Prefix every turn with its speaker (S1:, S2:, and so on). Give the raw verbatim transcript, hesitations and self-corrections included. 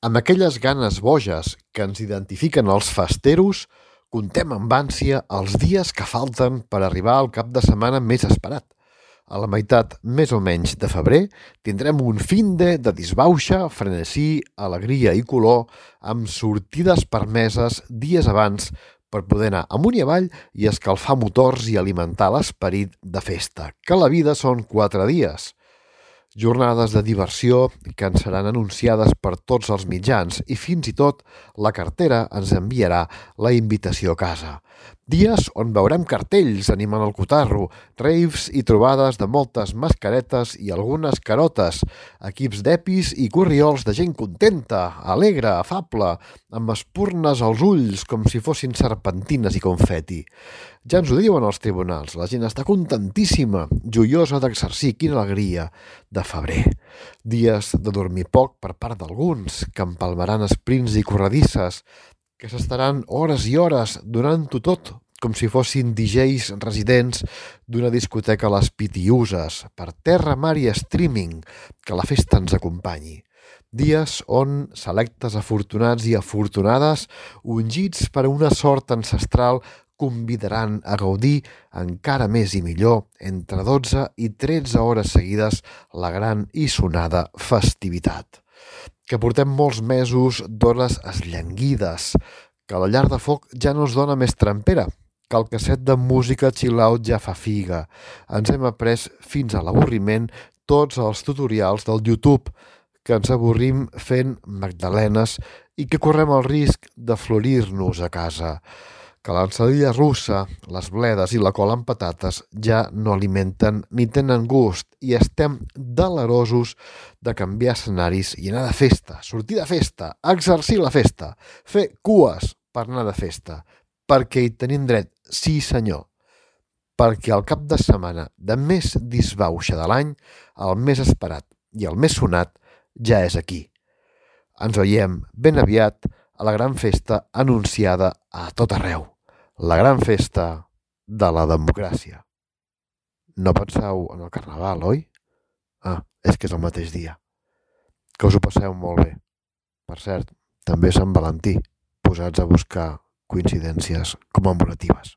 S1: Amb aquelles ganes boges que ens identifiquen els festeros, contem amb ànsia els dies que falten per arribar al cap de setmana més esperat. A la meitat, més o menys, de febrer tindrem un finde de disbauxa, frenesí, alegria i color, amb sortides permeses dies abans per poder anar amunt i avall i escalfar motors i alimentar l'esperit de festa, que la vida són quatre dies. Jornades de diversió que ens seran anunciades per tots els mitjans i fins i tot la cartera ens enviarà la invitació a casa. Dies on veurem cartells animant el cotarro, raves i trobades de moltes mascaretes i algunes carotes, equips d'epis i corriols de gent contenta, alegre, afable, amb espurnes als ulls com si fossin serpentines i confeti. Ja ens ho diuen els tribunals, la gent està contentíssima, joiosa d'exercir, quina alegria, de febrer. Dies de dormir poc per part d'alguns, que empalmaran esprints i corredisses, que s'estaran hores i hores donant-ho tot, com si fossin D Js residents d'una discoteca a les Pitiuses, per terra, mar i streaming, que la festa ens acompanyi. Dies on selectes afortunats i afortunades, ungits per una sort ancestral, convidaran a gaudir encara més i millor entre dotze i tretze hores seguides la gran i sonada festivitat. Que portem molts mesos d'hores esllanguides, que la llar de foc ja no es dona més trempera, que el casset de música chill-out ja fa figa. Ens hem après fins a l'avorriment tots els tutorials del YouTube, que ens avorrim fent magdalenes i que correm el risc de florir-nos a casa. Que l'ensalada russa, les bledes i la cola amb patates ja no alimenten ni tenen gust i estem delerosos de canviar escenaris i anar de festa, sortir de festa, exercir la festa, fer cues per anar de festa, perquè hi tenim dret, sí senyor, perquè el cap de setmana de més disbauxa de l'any, el més esperat i el més sonat ja és aquí. Ens veiem ben aviat a la gran festa anunciada a tot arreu. La gran festa de la democràcia. No penseu en el carnaval, oi? Ah, és que és el mateix dia. Que us ho passeu molt bé. Per cert, també Sant Valentí, posats a buscar coincidències commemoratives.